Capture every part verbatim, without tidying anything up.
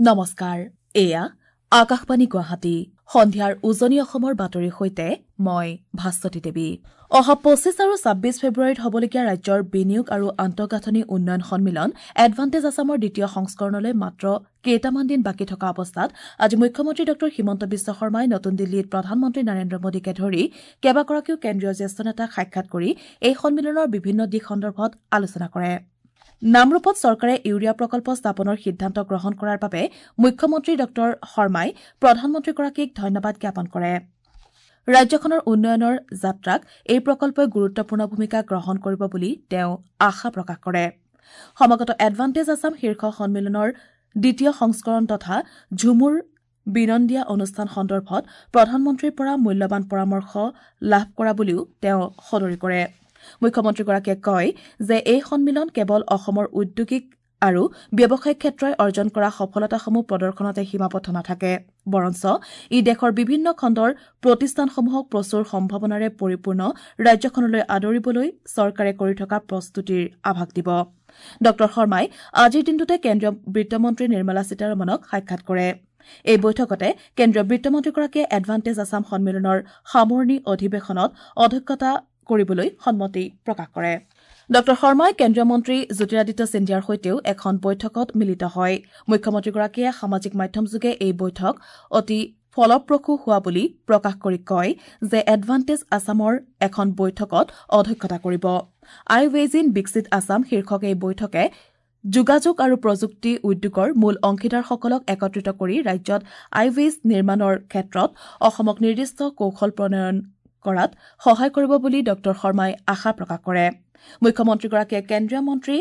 নমস্কাৰ, এয়া আকাশবাণী গুৱাহাটী। সন্ধিয়াৰ উজনি অসমৰ বাতৰিৰ সৈতে মই ভাস্বতী দেৱী। অহা পঁচিছ আৰু ছাব্বিছ ফেব্ৰুৱাৰীত হ'বলগীয়া ৰাজ্যৰ বিনিয়োগ আৰু আন্তঃগাঁথনি উন্নয়ন সন্মিলন এডভান্টেজ আছামৰ দ্বিতীয় সংস্কৰণলৈ মাত্ৰ কেইটামান দিন বাকী থকা অৱস্থাত আজি মুখ্যমন্ত্ৰী ডঃ হিমন্ত বিশ্ব শৰ্মাই নতুন দিল্লীত প্ৰধানমন্ত্ৰী নৰেন্দ্ৰ মোদীকে ধৰি কেইবাগৰাকীও কেন্দ্ৰীয় জ্যেষ্ঠ নেতাক সাক্ষাৎ কৰি এই সন্মিলনৰ বিভিন্ন দিশ সন্দৰ্ভত আলোচনা কৰে। নামৰূপত চৰকাৰে ইউৰিয়া প্ৰকল্প স্থাপনৰ সিদ্ধান্ত গ্ৰহণ কৰাৰ বাবে মুখ্যমন্ত্ৰী ডঃ শৰ্মাই প্ৰধানমন্ত্ৰীগৰাকীক ধন্যবাদ জ্ঞাপন কৰে। ৰাজ্যখনৰ উন্নয়নৰ যাত্ৰাক এই প্ৰকল্পই গুৰুত্বপূৰ্ণ ভূমিকা গ্ৰহণ কৰিব বুলি তেওঁ আশা প্ৰকাশ কৰে। সমাগত এডভান্টেজ আছাম শীৰ্ষ সন্মিলনৰ দ্বিতীয় সংস্কৰণ তথা ঝুমুৰ বিনন্দীয়া অনুষ্ঠান সন্দৰ্ভত প্ৰধানমন্ত্ৰীৰ পৰা মূল্যৱান পৰামৰ্শ লাভ কৰা বুলিও তেওঁ সদৰি কৰে। মুখ্যমন্ত্ৰীগৰাকীয়ে কয় যে এই সন্মিলন কেৱল অসমৰ ঔদ্যোগিক আৰু ব্যৱসায়িক ক্ষেত্ৰই অৰ্জন কৰা সফলতাসমূহ প্ৰদৰ্শনতে সীমাবদ্ধ নাথাকে, বৰঞ্চ ই দেশৰ বিভিন্ন খণ্ডৰ প্ৰতিষ্ঠানসমূহক প্ৰচুৰ সম্ভাৱনাৰে পৰিপূৰ্ণ ৰাজ্যখনলৈ আদৰিবলৈ চৰকাৰে কৰি থকা প্ৰস্তুতিৰ আভাস দিব। ডঃ শৰ্মাই আজিৰ দিনটোতে কেন্দ্ৰীয় বিত্তমন্ত্ৰী নিৰ্মলা সীতাৰমণক সাক্ষাৎ কৰে। এই বৈঠকতে কেন্দ্ৰীয় বিত্তমন্ত্ৰীগৰাকীয়ে এডভান্টেজ আছাম সন্মিলনৰ সামৰণি অধিৱেশনত অধ্যক্ষতা কৰিবলৈ সন্মতি প্ৰকাশ কৰে। ডঃ শৰ্মাই কেন্দ্ৰীয় মন্ত্ৰী জ্যোতিৰাদিত্য সিন্ধিয়াৰ সৈতেও এখন বৈঠকত মিলিত হয়। মুখ্যমন্ত্ৰীগৰাকীয়ে সামাজিক মাধ্যমযোগে এই বৈঠক অতি ফলপ্ৰসূ হোৱা বুলি প্ৰকাশ কৰি কয় যে এডভান্টেজ আছামৰ এখন বৈঠকত অধ্যক্ষতা কৰিব। আই ৱেজ ইন বিকশিত আছাম শীৰ্ষক এই বৈঠকে যোগাযোগ আৰু প্ৰযুক্তি উদ্যোগৰ মূল অংশীদাৰসকলক একত্ৰিত কৰি ৰাজ্যত আইৱেজ নিৰ্মাণৰ ক্ষেত্ৰত অসমক নিৰ্দিষ্ট কৌশল প্ৰণয়ন কৰাত সহায় কৰিব বুলি ডঃ শৰ্মাই আশা প্ৰকাশ কৰে। মুখ্যমন্ত্ৰীগৰাকীয়ে কেন্দ্ৰীয় মন্ত্ৰী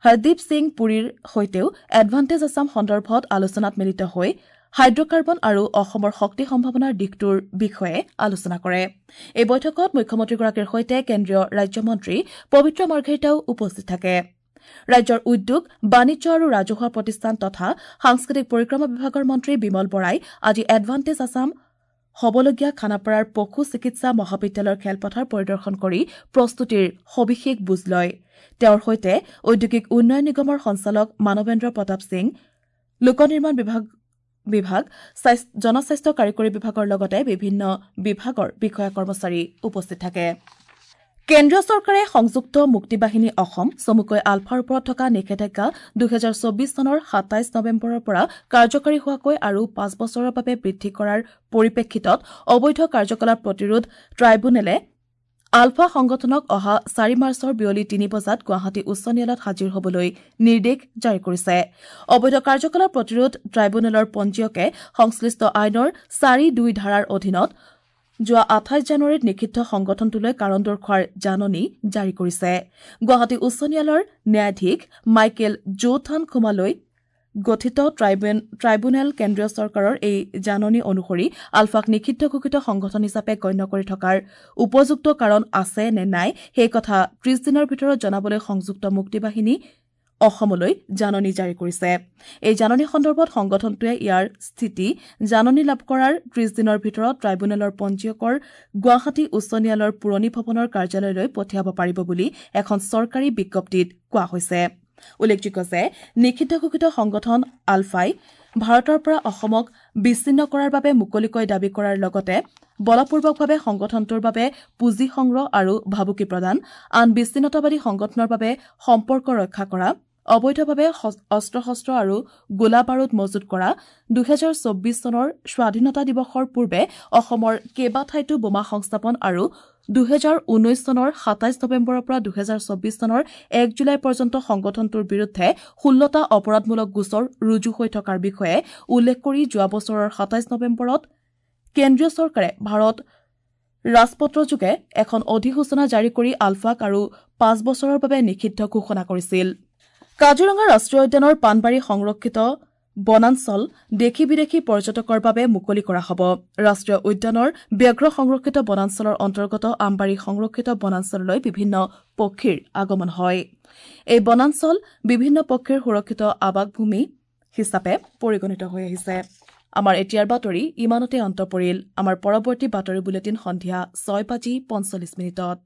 হৰদীপ সিং পুৰীৰ সৈতেও এডভান্টেজ আছাম সন্দৰ্ভত আলোচনাত মিলিত হৈ হাইড্ৰকাৰ্বন আৰু অসমৰ শক্তি সম্ভাৱনাৰ দিশটোৰ বিষয়ে আলোচনা কৰে। এই বৈঠকত মুখ্যমন্ত্ৰীগৰাকীৰ সৈতে কেন্দ্ৰীয় ৰাজ্যমন্ত্ৰী পবিত্ৰ মাৰ্ঘেৰিটাও উপস্থিত থাকে। ৰাজ্যৰ উদ্যোগ, বাণিজ্য আৰু ৰাজহুৱা প্ৰতিষ্ঠান তথা সাংস্কৃতিক পৰিক্ৰমা বিভাগৰ মন্ত্ৰী বিমল বৰাই আজি এডভান্টেজ আছাম হ'বলগীয়া খানাপাৰাৰ পশু চিকিৎসা মহাবিদ্যালয়ৰ খেলপথাৰ পৰিদৰ্শন কৰি প্ৰস্তুতিৰ সবিশেষ বুজ লয়। তেওঁৰ সৈতে ঔদ্যোগিক উন্নয়ন নিগমৰ সঞ্চালক মানৱেন্দ্ৰ প্ৰতাপ সিং, লোক নিৰ্মাণ বিভাগ বিভাগ জনস্বাস্থ্য কাৰিকৰী বিভাগৰ লগতে বিভিন্ন বিভাগৰ বিষয়া কৰ্মচাৰী উপস্থিত থাকে। কেন্দ্ৰীয় চৰকাৰে সংযুক্ত মুক্তি বাহিনী অসম চমুকৈ আলফাৰ ওপৰত থকা নিষেধাজ্ঞা দুহেজাৰ চৌবিশ চনৰ সাতাইছ নৱেম্বৰৰ পৰা কাৰ্যকৰী হোৱাকৈ আৰু পাঁচ বছৰৰ বাবে বৃদ্ধি কৰাৰ পৰিপ্ৰেক্ষিতত অবৈধ কাৰ্যকলাপ প্ৰতিৰোধ ট্ৰাইব্যুনেলে আলফা সংগঠনক অহা চাৰি মাৰ্চৰ বিয়লি তিনি বজাত গুৱাহাটী উচ্চ ন্যায়ালয়ত হাজিৰ হ'বলৈ নিৰ্দেশ জাৰি কৰিছে। অবৈধ কাৰ্যকলাপ প্ৰতিৰোধ ট্ৰাইব্যুনেলৰ পঞ্জীয়কে সংশ্লিষ্ট আইনৰ চাৰি দুই ধাৰাৰ অধীনত যোৱা আঠাইছ জানুৱাৰীত নিষিদ্ধ সংগঠনটোলৈ কাৰণ দৰ্শোৱাৰ জাননী জাৰি কৰিছে। গুৱাহাটী উচ্চ ন্যায়ালয়ৰ ন্যায়াধীশ মাইকেল জোথান খুমালৈ গঠিত ট্ৰাইব্যুনেল কেন্দ্ৰীয় চৰকাৰৰ এই জাননী অনুসৰি আলফাক নিষিদ্ধ ঘোষিত সংগঠন হিচাপে গণ্য কৰি থকাৰ উপযুক্ত কাৰণ আছে নে নাই সেই কথা ত্ৰিশ দিনৰ ভিতৰত জনাবলৈ সংযুক্ত মুক্তি বাহিনী অসমলৈ জাননী জাৰি কৰিছে। এই জাননী সন্দৰ্ভত সংগঠনটোৱে ইয়াৰ স্থিতি জাননী লাভ কৰাৰ ত্ৰিশ দিনৰ ভিতৰত ট্ৰাইব্যুনেলৰ পঞ্জীয়কৰ গুৱাহাটী উচ্চ ন্যায়ালয়ৰ পুৰণি ভৱনৰ কাৰ্যালয়লৈ পঠিয়াব পাৰিব বুলি এখন চৰকাৰী বিজ্ঞপ্তিত কোৱা হৈছে। উল্লেখযোগ্য যে নিষিদ্ধ ঘোষিত সংগঠন আলফাই ভাৰতৰ পৰা অসমক বিচ্ছিন্ন কৰাৰ বাবে মুকলিকৈ দাবী কৰাৰ লগতে বলপূৰ্বকভাৱে সংগঠনটোৰ বাবে পুঁজি সংগ্ৰহ আৰু ভাবুকি প্ৰদান, আন বিচ্ছিন্নতাবাদী সংগঠনৰ বাবে সম্পৰ্ক ৰক্ষা কৰা, অবৈধভাৱে অস্ত্ৰ শস্ত্ৰ আৰু গোলা বাৰুদ মজুত কৰা, দুহেজাৰ চৌবিশ চনৰ স্বাধীনতা দিৱসৰ পূৰ্বে অসমৰ কেইবাঠাইতো বোমা সংস্থাপন আৰু দুহেজাৰ ঊনৈশ চনৰ সাতাইছ নৱেম্বৰৰ পৰা দুহেজাৰ চৌবিশ চনৰ এক জুলাই পৰ্যন্ত সংগঠনটোৰ বিৰুদ্ধে ষোল্লটা অপৰাধমূলক গোচৰ ৰুজু হৈ থকাৰ বিষয়ে উল্লেখ কৰি যোৱা বছৰৰ সাতাইছ নৱেম্বৰত কেন্দ্ৰীয় চৰকাৰে ভাৰত ৰাজপত্ৰযোগে এখন অধিসূচনা জাৰি কৰি আলফাক আৰু পাঁচ বছৰৰ বাবে নিষিদ্ধ ঘোষণা কৰিছিল। কাজিৰঙা ৰাষ্ট্ৰীয় উদ্যানৰ পাণবাৰী সংৰক্ষিত বনাঞ্চল দেশী বিদেশী পৰ্যটকৰ বাবে মুকলি কৰা হ'ব। ৰাষ্ট্ৰীয় উদ্যানৰ ব্যাঘ্ৰ সংৰক্ষিত বনাঞ্চলৰ অন্তৰ্গত আমবাৰী সংৰক্ষিত বনাঞ্চললৈ বিভিন্ন পক্ষীৰ আগমন হয়। এই বনাঞ্চল বিভিন্ন পক্ষীৰ সুৰক্ষিত আৱাসভূমি হিচাপে পৰিগণিত হৈ আহিছে। আমাৰ এতিয়াৰ বাতৰি ইমানতে অন্ত পৰিল। আমাৰ পৰৱৰ্তী বাতৰি বুলেটিন সন্ধিয়া ছয় বাজি পঞ্চল্লিছ মিনিটত।